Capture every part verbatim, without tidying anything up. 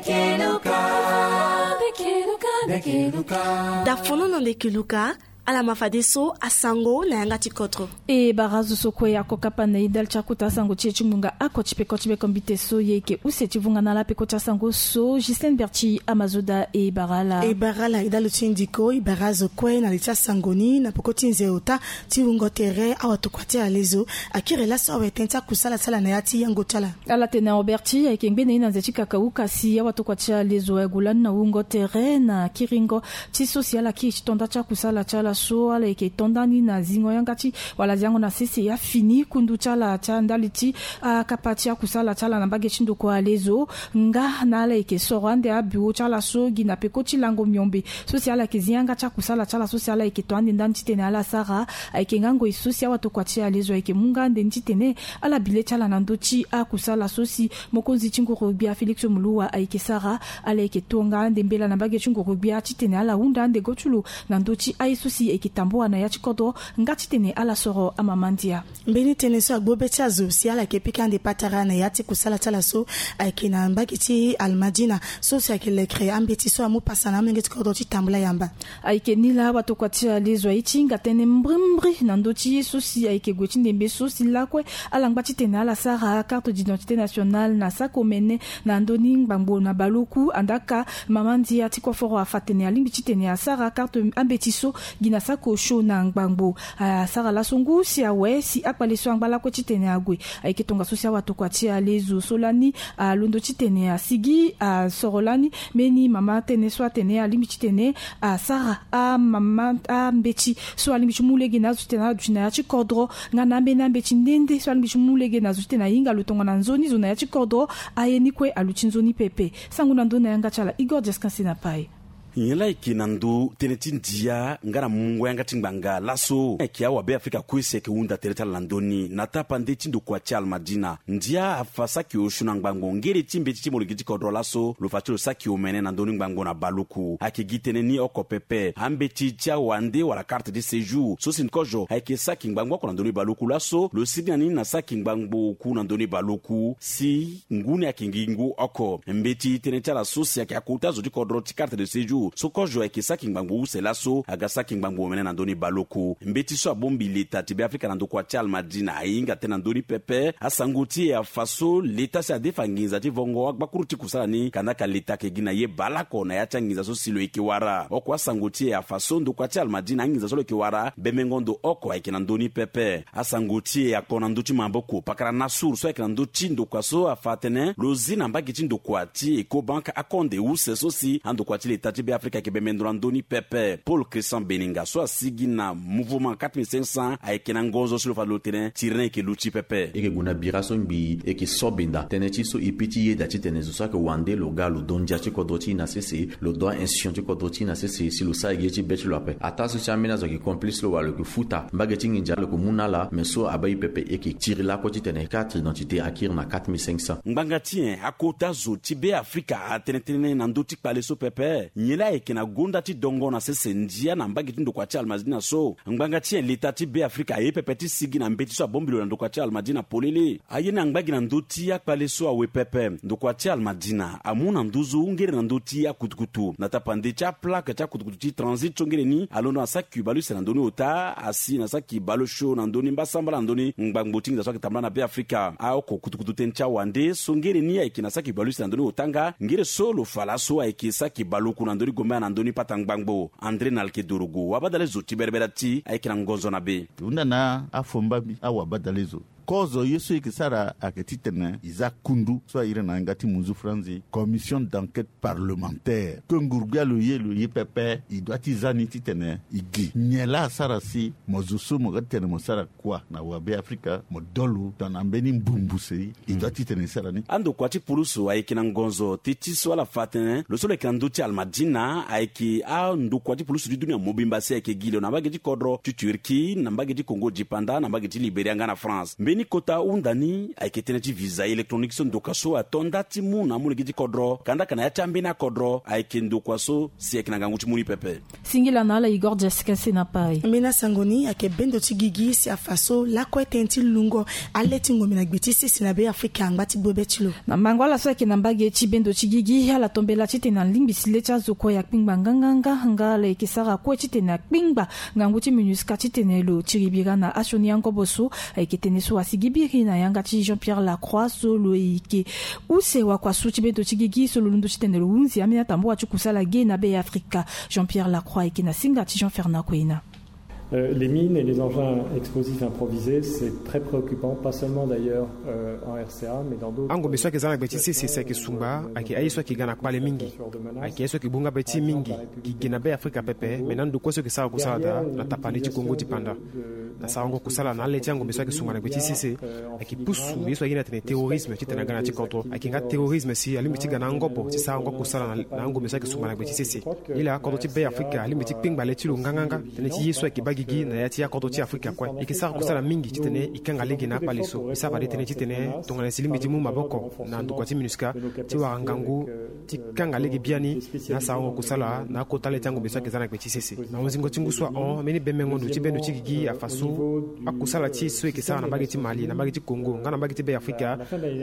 Keluka. Keluka. Keluka. Dafono na nde keluka. Ala ma fadeso asango na yanga ti kodro. E bara zo so kue ako kapa na e ndali ti akota asango ti e ti ngbonga ako ti peko ti beko mbite so ye eke use ti vunga na ala peko ti asango so Justine Berti amazoda e bara ala. E bara ala e dalo ti ndiko e bara zo kue na li ti asango ni na peko ti nze ota ti wungo tere awatokua ti alezo. Akiri laso awe tënë ti akusala ti ala na ya ti yango ti ala. Ala tene Roberti ayeke ngbene ye na nze ti kakauka si awatokua ti alezo ague lani na wungo tere na kiringo ti so si ala kiri ti tonda ti akusala ti ala so ala yeke tonda ni na zingo yanga ti wala ziango na sese ya fini kundu ti ala ti andali ti akapa ti akusala ti ala na mbage ti ndokua alezo. Nga na ala yeke soro ande abiro ti ala so gi na peko ti lango miombe so si ala yeke zi yanga ti akusala ti ala so si ala yeke to ande ndani titene ala sara. Ayeke nga ngoi so si awatokua ti alezo ayeke mu nga ande ni titene ala bi le ti ala na ndö ti akusala so si mokonzi ti nguru gbia Félix Moluwa ayeke sara. Ala yeke to nga ande mbela na mbage ti nguru gbia titene ala hunda ande go ti lo na ndö ti aye so si ayeke tambua na ya ti kodro nga titene ala soro amama ndia. Mbeni tënë so agbu be ti azo si ala yeke pika ande patara na ya ti kusala ti ala so ayeke na mbage ti Almadina so si ayeke lekere ambeti so amu pasa na amolenge ti kodro ti tambula yamba. Ayeke ni laa watokua ti alezo aye ti hinga tënë mbrimbri na ndö ti ye so si ayeke gue ti ndembe so si lakue ala ngba titene ala sara carte d'identité nationale na saki omene na ndö ni ngbangbo na baleoku. Andaka mama ndia ti koforo afa tene alingbi titene asara carte ambeti so gi na saki osio na ngbangbo. Asara laso ngu si awe si akpale so angba lakue titene ague. Ayeke tongaso si awatokua ti alezo so lani alondo titene asigi asoro lani mbeni mama tënë so atene alingbi titene asara amama ambeti so alingbi ti mu lege na azo titene ala duti na ya ti kodro nga na ambeni ambeti nde nde so alingbi ti mu lege na zo titene ahinga lo tongana nzoni zo na ya ti kodro. Aye ni kue aluti nzoni pepe. Sango na ndö na yanga ti ala Igor Diaskanse na pai. Nyen laa eke na ndö tënë ti ndia nga na mungo yanga ti ngbanga laso eke awabe afrika kue si eke hunda tere ti ala na ndö ni na tapande ti ndokua ti Almadina. Ndia afa saki osio na ngbangbo ngere ti mbeti ti molenge ti kodro laso lo fa ti lo saki omene na ndö ni ngbangbo na baleoku. Ayeke gi tënë ni oko pepe ambeti ti awande wala carte de séjour so si kozo ayeke saki ngbangbo oko na ndö ni baleoku laso lo sigi na ni na saki ngbangbo oku na ndö ni baleoku si ngu ni ayeke ngingu oko. Mbeti tënë ti ala so si ayeke akota zo ti kodro ti carte de séjour so kozo ayeke saki ngbangbo use laso aga saki ngbangbo omene na ndö ni baleoku. Mbeti so abongbi leta ti be afrika na ndokua ti Almadina ahinga tënë na ndö ni pepe. Asango ti e afa so leta si adefa nginza ti vongo agbakuru ti kusala ni kandaka leta ayeke gi na ye baleoko na ya ti anginza so si lo yeke wara. Oko asango ti e afa so ndokua ti Almadina anginza so lo yeke wara bembengo ndo oko ayeke na ndö ni pepe. Asango ti e akpo na ndö ti maboko pakara Nassour so ayeke na ndö ti ndokua so afa atene lo zi na mbage ti ndokua ti Ecobank akonde use so si andokua ti leta ti be afrika ayeke bembe ndo na ndö ni pepe. Paul Christian Beninga so asigi na mouvement quatre mille cinq cents ayeke na ngonzo si lo fa lo tene tiri ni ayeke luti pepe. E yeke gue na bira so ngbii e yeke so benda tënë ti so e pe ti yeda titene zo so ayeke wande lo ga lo do ndia ti kodro ti e na sese lo do a-institution ti kodro ti e na sese si lo sara gi ye ti be ti lo ape. Ataa so ti ambeni azo ayeke complice lo wala lo yeke futa mbage ti nginza lo yeke mu na ala me so abaa e pepe e yeke tiri lakue titene carte d'identité akiri na quatre mille cinq cents. Ngbanga ti nyen akota zo ti be afrika atene tënë na ndö ti kpale so pepe? Nyen laa ayeke na gonda ti dongo na sese ndia na mbage ti ndokua ti Almadina so? Ngbanga ti nyen leta ti be afrika aye pepe ti sigi na mbeti so abongbi lo na ndokua ti Almadina polele? Aye ni angba gi na ndö ti akpale so awe pepe. Ndokua ti Almadina amu na nduzu ngere na ndö ti akutukutu na tapande ti aplaque ti akutukutu ti transit so ngere ni alondo na saki baleuse na ndö ni ota asi na saki baleosio na ndö ni mbasambala na ndö ni ngbangbo ti nginza so ayeke tambula na be afrika. Aoko kutukutu tënë ti awande so ngere ni ayeke na saki baleuse na ndö ni ota nga ngere so lo fa laso ayeke saki baleoku na ndö ni gombaya na ndö ni pata ngbangbo. André Nalke Dorogo wabadale zo ti berebere ti ayeke na ngonzo na be. Hunda na afomba mbi awabadale zo. Kozo ye so e yeke sara ayeke titene e za kundu so a iri na yanga ti munzu franzi commission d'enquête parlementaire. Ke nguru-gbia lo ye lo ye pepe e doit ti za ni titene e gi nyen laa asara si mo zo so mo ga titene mo sara kua na wabe afrika mo dolo tongana mbeni mbumbuse. E doit titene e sara ni. Andokua ti pulusu ayeke na ngonzo teti so ala fa atene lo so lo yeke na ndö ti Almadina ayeke andokua ti pulusu ti dunia mobimba si ayeke gi lo na mbage ti kodro ti Turquie na mbage ti Congo dipanda na mbage ti Liberia nga na France. Ni kota hunda ni ayeke tënë ti visa électronique so ndoka so ato nda ti mu na amolenge ti kodro kandaka na ya ti ambeni akodro ayeke ndokua so si ayeke na ngangu ti mu ni pepe. Singila na ala Igor Jessica Senapari. Mbeni asango ni ayeke bendo ti gigi si afa so lakue tënë ti lungo ale ti ngombe na gbe ti sese na Be Afrika angba ti gbobe ti lo. Na mango ala so ayeke na mbage ti bendo ti gigi ala tombela titene alingbi si le ti azo kue akpingba nganganga nga ala yeke sara kue titene akpingba ngangu ti MINUSCA titene lo tiri bira na asioni angobo so. Ayeke tënë so asigi biri na yanga ti Jean Pierre Lacroix so lo yeke use wakua so ti bendo ti gigi so lo londo titene lo hunzi ambeni atambua ti kusala ge na Be Afrika. Jean Pierre Lacroix ayeke na singa ti Jean Fernand Koina. Euh, les mines et les engins explosifs improvisés, c'est très préoccupant, pas seulement d'ailleurs, euh, en R C A, mais dans d'autres... Angombe so ayeke za na gbe ti sese si ayeke sungba ayeke aye so ayeke ga na kpale mingi. Ayeke aye so ayeke bu nga be ti mingi gi ge na Be Afrika pepe, me na ndo kue so ayeke sara kusala daa na tapani ti Kongo ti panda. Na sarango kusala na ale ti angombe so ayeke sungba na gbe ti sese ayeke pusu ye so aye ni atene terrorisme titene aga na ya ti kodro. Ayeke nga terrorisme si alingbi ti ga na angobo ti sarango kusala na, na angombe so ayeke sungba na gbe ti sese. Nilaa kodro ti Be Afrika alingbi ti kpengba le ti lo nganganga. Tënë ti ye so ayeke baa gigi na ya ti akodro ti Afrika kue. E yeke sara kusala mingi titene e kanga lege na akpale so. E sara fade tënë titene tongana si lingbi ti mu maboko na ndokua ti MINUSCA ti wara ngangu ti kanga lege biani na asarango kusala na akota le ti angombe so ayeke za na gbe ti sese. Na hunzingo ti ngu so ahon, mbeni bemengo ndo ti bendo ti gigi afa so akusala ti e so e yeke sara na mbage ti Mali, na mbage ti Kongo nga na mbage ti Be Afrika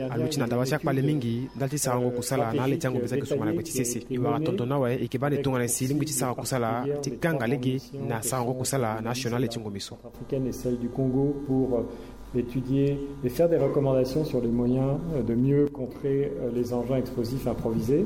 aluti na dawa ti akpale mingi ndali ti sarango kusala na ale ti angombe so ayeke sungba na gbe ti sese. E wara tongaso ni awe, e yeke baa ni tongana si e lingbi ti sara kusala ti kanga lege na sarango kusala na asioni na ale ti ngombe so. Africaine et celle du Congo pour, euh, étudier et faire des recommandations sur les moyens, euh, de mieux contrer, euh, les engins explosifs improvisés.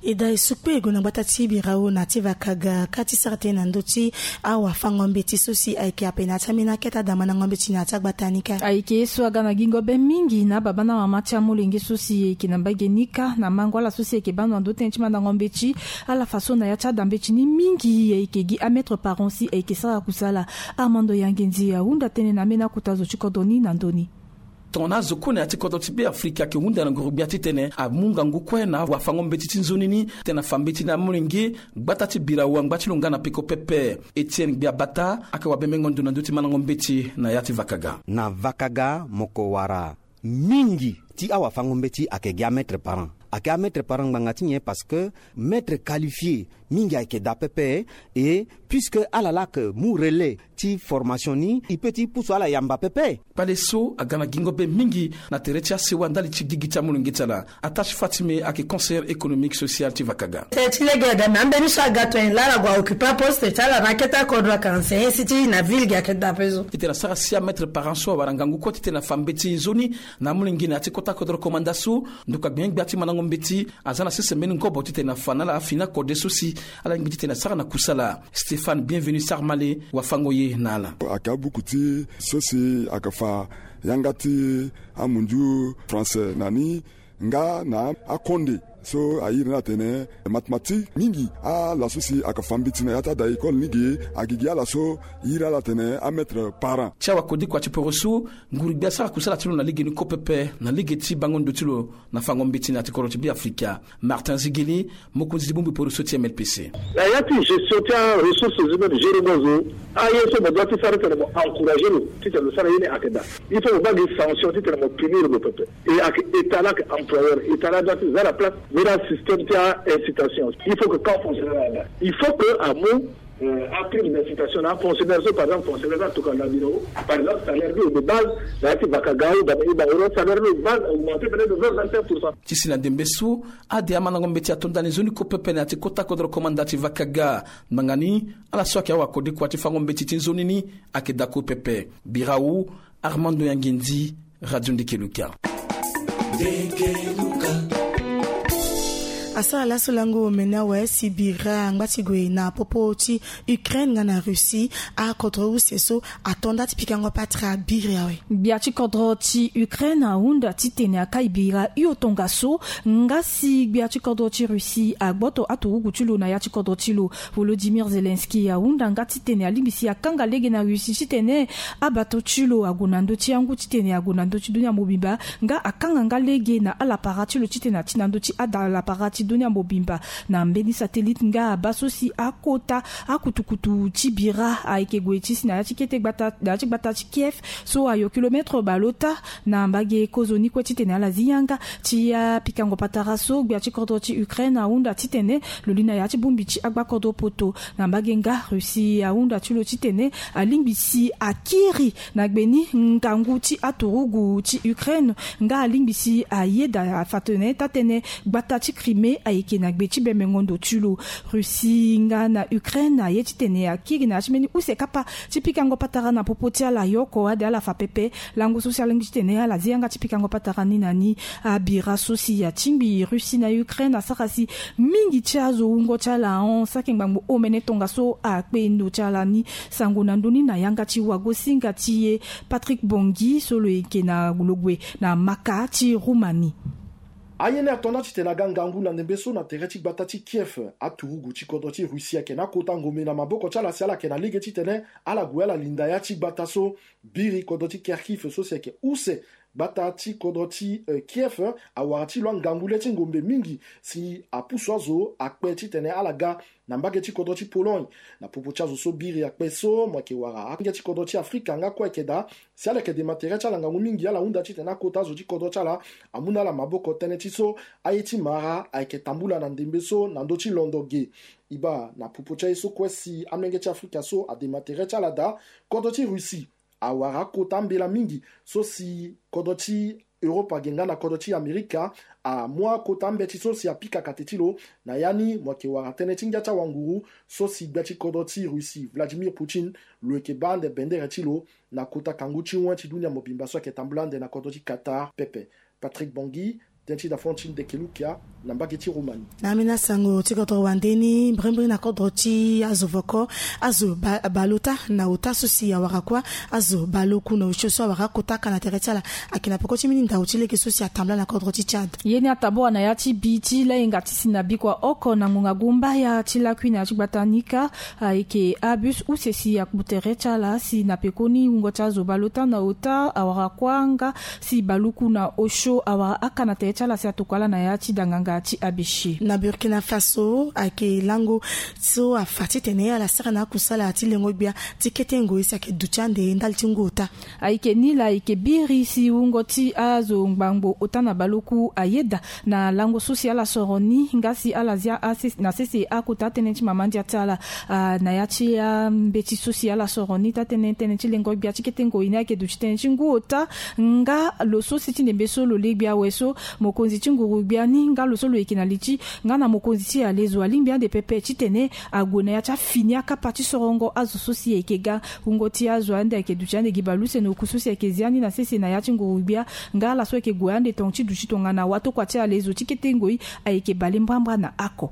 E daa e sukpe e gue na gbata ti Birao na ya ti Vakaga ka ti sara tënë na ndö ti awafango-mbeti so si ayeke ape na ya ti ambeni akete adamandango-mbeti na ya ti agbata ni kâ. Ayeke ye so aga na gingo be mingi na ababa na amama ti amolenge so si ayeke na mbage ni kâ na mango ala so si ayeke baa ndo na ndö ti tënë ti mandango-mbeti. Ala fa so na ya ti ada-mbeti ni mingi ayeke gi amaître parent si ayeke sara kusala. Armando Yangenzi ahunda tënë na ambeni akota zo ti kodro ni na ndö ni. Tongana azo kue na ya ti kodro ti Be Afrika ayeke hunda na nguru-gbia titene amu ngangu kue na wafango-mbeti ti nzoni ni titene afa mbeti na amolenge gbata ti Birao angba ti lo nga na peko pepe. Etienne Gbiabata ayeke wabemengo ndo na ndö ti mandango-mbeti na ya ti Vakaga. Na Vakaga mo ko wara mingi ti awafango-mbeti ayeke gi amaître parent. Ayeke amaître parent ngbanga ti nyen? Parce que maître qualifié mingi ayeke daa pepe. Et puisque ala laa ayeke mu relais ti formation ni, e peut ti pusu ala yamba pepe. Kpale so aga na gingo be mingi na tere ti asewa ndali ti gigi ti amolenge ti ala. Attache Fatime ayeke conseillère économique sociale ti Vakaga. Tënë ti lege daa, me ambeni so aga tongana laa ala gue a occuper aposte ti ala na akete akodro ayeke enseigner si ti na ville gi ayeke daa pepe so. Titene asara si amaître parent so awara ngangu kue titene afa mbeti nzoni na amolenge na ya ti kota kodro komanda so. Ndoka gbengbe gbia ti mandango-mbeti aza na sese mbeni ngobo titene afa na ala afini akode so si ala lingbi titene asara na kusala. Stéphane Bienvenu Sarmale wafango ye na ala. Ayeke abuku ti so si ayeke fa yanga ti amunzu français na ni nga na akonde so a iri ni atene mathématique. Mingi ala so si ayeke fa mbeti na ya ti ada école ni ge, ayeke gi ala so iri ala atene amaître parent. Ti awakodikua ti poroso, nguru-gbia asara kusala ti lo na lege ni kue pepe na lege ti bango ndo ti lo na fango mbeti na ya ti kodro ti Be Afrika. Martin Zigili, mokonzi ti bongbi poroso ti M L P C. Na ya ti gestion ti aressources humaines, gérer mo azo, aye so mo doit ti sara titene mo encourager lo titene lo sara ye ni ayeke daa. Il faut mo baa gi sanction titene mo punir lo pepe. Et ayeke État la, ayeke employeur, État la doit ti za na place mbeni asystème ti aincitation. Il faut que quand fonctionnaire aga, il faut que amu, euh, aprime d'incitation na afonctionnaire so, par exemple fonctionnaire so atokua na biro, par exemple salaire ni de base na ya ti Vakaga ou Bamenda, salaire ni de base augmenté peut-être de vingt, vingt-cinq pour cent. Ti si na ndembe so, ade amandango-mbeti ato ndani nzoni kue pepe na ya ti kota kodro komanda ti Vakaga. Ngbanga ni ala so ayeke awakodikua ti fango mbeti ti nzoni ni ayeke daa kue pepe. Birao, Armando Yangendi, Radio Ndeke Luka. Asara laso lango omene awe si bira angba ti gue na popo ti Ukraine nga na Russie. Akodro use so ato nda ti pikango patara biri awe. Gbia ti kodro ti Ukraine ahunda titene akai bira hio tongaso. Nga si gbia ti kodro ti Russie agboto aturugu ti lo na ya ti kodro ti lo, Volodymyr Zelensky ahunda nga titene alingbi si akanga lege na Russie titene abato ti lo ague na ndö ti angu titene ague na ndö ti dunia mobimba. Nga akanga nga lege na alapara ti lo titene ati na ndö ti adalapara ti Dunia mobimba na mbeni satellite nga abaa so si akota akutukutu ti bira ayeke gue ti si na ya ti kete gbata na ya ti gbata ti Kiev so ayo kilometre baleota. Na mbage kozoni kue titene ala zi yanga ti apikango patara so gbia ti kodro ti Ukraine ahunda titene lo li na ya ti bongbi ti agbakodro poto. Na mbage nga Russie ahunda ti lo titene alingbi si akiri na gbe ni ngangu ti aturugu ti Ukraine nga alingbi si ayeda afa tene taa-tënë gbata ti Crimée ayeke na gbe ti bembengo ndo ti lo. Russie nga na Ukraine aye titene akiri na ya ti mbeni use kapa ti pikango patara na popo ti ala yo oko ade ala fa pepe. Lango so si alingbi titene ala zi yanga ti pikango patara ni na ni. Abira so si atingbi Russie na Ukraine asara si mingi ti azo wungo ti ala ahon saki ngbangbo omene tongaso akpe ndo ti ala ni. Sango na ndö ni na yanga ti wagosinga ti e Patrick Bongi so lo yeke na lo gue na maka ti Roumanie. Aye ni ato na titene aga ngangu na ndembe so na tere ti gbata ti Kiev. Aturugu ti kodro ti Russie ayeke na akota ngombe na maboko ti ala si ala yeke na lege titene ala gue ala linda ya ti gbata so biri kodro ti Kharkiv so si ayeke use gbata ti kodro ti Kiev. Awara ti lo angangu le ti ngombe mingi si apusu azo akpe titene ala ga na mbage ti kodro ti Pologne. Na popo ti azo so biri akpe so mo yeke wara akinge ti kodro ti Afrika nga kue ayeke daa si ala yeke dema tere ti ala ngangu mingi ala hunda titene akota azo ti kodro ti ala amu na ala maboko tënë ti so aye ti mara ayeke tambula na ndembe so na ndö ti londo ge. E baa na popo ti aye so kue si amolenge ti Afrika so adema tere ti ala daa. Kodro ti Russie awara akota ambela mingi so si kodro ti Europa ge nga na kodro ti Amerika amu akota ambeti so si apika kate ti lo. Na ya ni mo yeke wara tënë ti ngia ti awanguru so si gbia ti kodro ti Russie Vladimir Poutine lo yeke baa ande bendere ti lo na kota kangu ti wen ti dunia mobimba so ayeke tambula ande na kodro ti Qatar pepe. Patrick Bongi, tënë ti dafon ti Ndeke Lukia na mbage ti Roumanie. Na ambeni asango ti kodro wande ni mbrimbri na kodro ti azo voko azo baleota na ota so si awara kuâ azo baleoku na osio so awara akota aka na tere ti ala ayeke na peko ti mbeni ndau ti lege so si atambula na kodro ti Tchad. Ye ni atabora na ya ti bi ti layenga ti si na bikua oko na ngonga gumbaya ti lakui na ya ti gbata ni kâ. Ayeke abus use si akpu tere ti ala si na pekoni wungo ti azo baleota na ota awara kuâ nga si baleoku na osio awara aka na tere ti ala si atokua ala na ya ti danganga ti abc. Na Burkina Faso ayeke lango so afa titene ala sara na akusala ti lengo gbia ti kete ngoi si ayeke duti ande ndali ti ngu ota. Ayeke ni laa ayeke biri si wungo ti azo ngbangbo ota na baleoku ayeda na lango so si ala soro ni nga si ala zia na sese akota tënë ti mama ndia ti ala. Na ya ti ambeti so si ala soro ni taa-tënë tënë ti lengo gbia ti kete ngoi ni ayeke duti tënë ti ngu ota. Nga lo so si ti ndembe so lo le gbia awe so mokonzi ti nguru gbia ni nga lo so lo yeke na li ti nga na mokonzi ti alezo alingbi ande pepe titene ague na ya ti afini akapa ti sorongo azo so si ayeke ga wungo ti azo ande ayeke duti ande gi baleuse na oku so si ayeke zia ni na sese na ya ti nguru gbia. Nga ala so ayeke gue ande tongo ti duti tongana watokua ti alezo ti kete ngoi ayeke bale mbrambra na ako.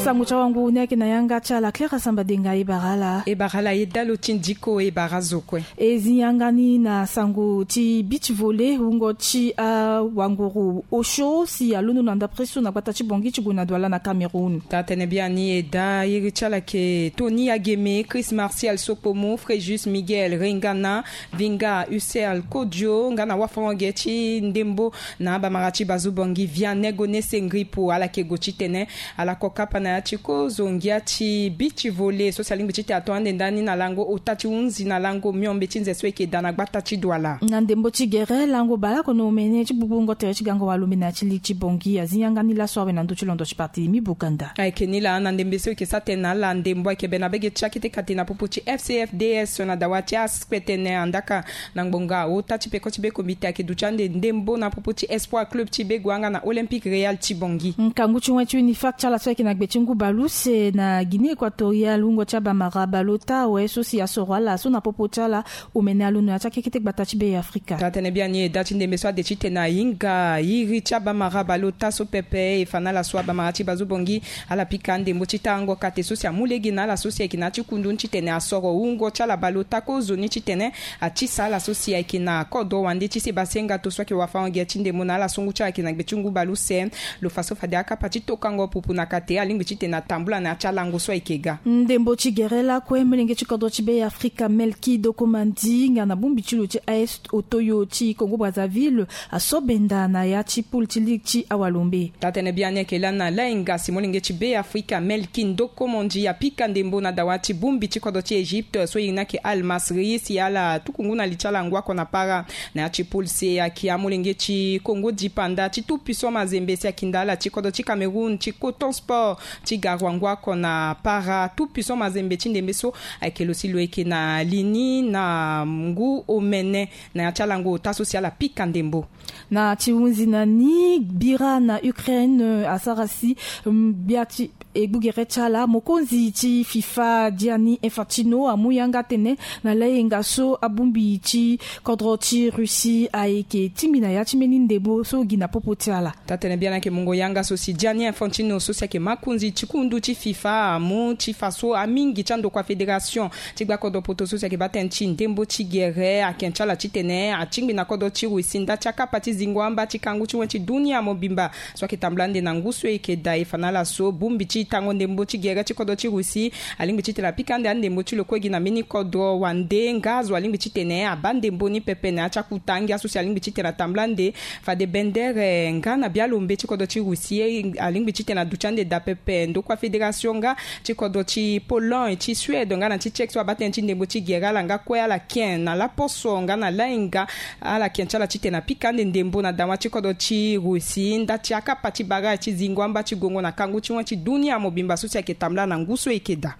Nsango ti awanguru ni ayeke na yanga ti ala Claire Asamba Denga. E bara ala. E bara ala ye dalo ti ndiko e bara azo kue. E zi yanga ni na sango ti beach volley wungo ti awanguru osio si alondo na ndapre so na gbata ti Bangui ti gue na Douala na Cameroun. Taa-tënë biani e daa iri ti ala yeke Tony Ageme, Chris Martial Sokpomo, Fréjus Miguel Rengana, Vinga Hussein Kodio nga na wafango-ge ti ndembo na abamara ti Bazu Bangui Vianney Gonesse Ngripo ala yeke gue titene ala ko kapa na ya ti kozongia ti beach volley so si alingbi titene ato ande ndani na lango ota ti hunzi na lango miombe ti nze so e yeke daa na gbata ti Douala. Na ndembo ti gere lango baleoko na omene ti gbugbungo tere ti gango walo mbi na ya ti li ti Bangui azi yanga ni laso awe na ndö ti londo ti parti mi Bukanda. Ayeke ni laa na ndembe so e yeke sara tënë na ala ndembo ayeke bena bege ti akete kate na popo ti F C F D S na dawa ti aspetene andaka na ngbonga ota ti peko ti be kombite ayeke duti ande ndembo na popo ti Espoir Club ti be gue nga na Olympique Real ti Bangui. Nkangu ti wen ti UNIFAC ti ala so ayeke na gbe ti ngu baleuse na Guinée Équatoriale wungo ti abamara baleota awe so si asoro ala so na popo ti ala omene alondo na ya ti akekete gbata ti be Afrika. Taa-tënë biani e daa ti ndembe so ade titene ahinga iri ti abamara baleota so pepe e fa na ala so abamara ti Bazu Bangui ala pika ndembo ti tarango kate so si amu lege na ala so si ayeke na ya ti kundu ni titene asoro wungo ti ala baleota kozoni titene atisa ala so si ayeke na kodro wande ti se basenga to so ayeke wafango-ge ti ndembo na ala so ngu ti ala ayeke na gbe ti ngu baleuse. Lo fa so fade akapa ti tokango pupu na kate alingbi ti titene atambula na ya ti alango so ayeke ga. Ndembo ti gere lakue, molenge ti kodro ti Be Afrika Melki Dokomandi nga na bongbi ti lo ti A S Otoyo ti Congo Brazzaville aso benda na ya ti poule ti ligue ti awalombe. Taa-tënë biani ayeke lani na lainga si molenge ti Be Afrika Melki Dokomandi apika ndembo na dawa ti bongbi ti kodro ti Egypte so e iri ni ayeke Al Masry si ala tuku ngu na li ti ala ngu oko na para. Na ya ti poule C ayeke amolenge ti Congo Dipanda ti Tout Puissant Mazembe si akinda ala ti kodro ti Cameroun ti Coton Sport ti Garoua ngu oko na para. Tout Puissant Mazembe ti ndembe so ayeke lo si lo yeke na li ni na ngu omene na ya ti alango ota so si ala pika ndembo. Na ti hunzi na ni bira na Ukraine, euh, asara si, mm, gbia ti egbugere ti ala, mokonzi ti FIFA Gianni Infantino amu yanga tene na layenga so abongbi ti kodro ti Russie ayeke tingbi na ya ti mbeni ndembo so gi na popo ti ala. Taa-tënë biani ayeke mungo yanga so si Gianni Infantino so si ayeke makonzi ti kundu ti FIFA amu ti fa so amingi ti andokua fédération ti gba kodro poto so si ayeke baa tënë ti ndembo ti gere ake ti ala titene atingbi na kodro ti Russie nda ti akapa ti zingo amba ti kangu ti wen ti dunia mobimba so ayeke tambula ande na ngu so e yeke daa. E fa na ala so bongbi ti tango ndembo ti gere ti kodro ti Russie alingbi titene apika ande andembo ti lo kue gi na mbeni kodro wande nga azo alingbi titene abaa ndembo ni pepe na ya ti akuta ngia so si alingbi titene atambula ande fade bendere nga na bialombe ti kodro ti Russie alingbi titene aduti ande daa pepe ndokua fédération nga ti kodro ti Pologne, ti Suède nga na ti Tchèque so abaa tënë ti ndembo ti gere ala nga kue ala ken na laposo nga na lainga ala ken ti ala titene apika ande ndembo na dawa ti kodro ti Russie nda ti akapa ti barrage ti zingo amba ti gongo na kangu ti wen ti dunia mobimba so si ayeke tambula na ngu so e yeke daa.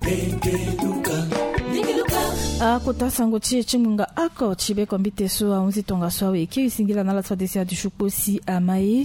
Akota sango ti e ti ngonga oko ti bekombite so ahunzi tongaso awe e kiri singila na ala ti fade si adusu kpo si ama ye.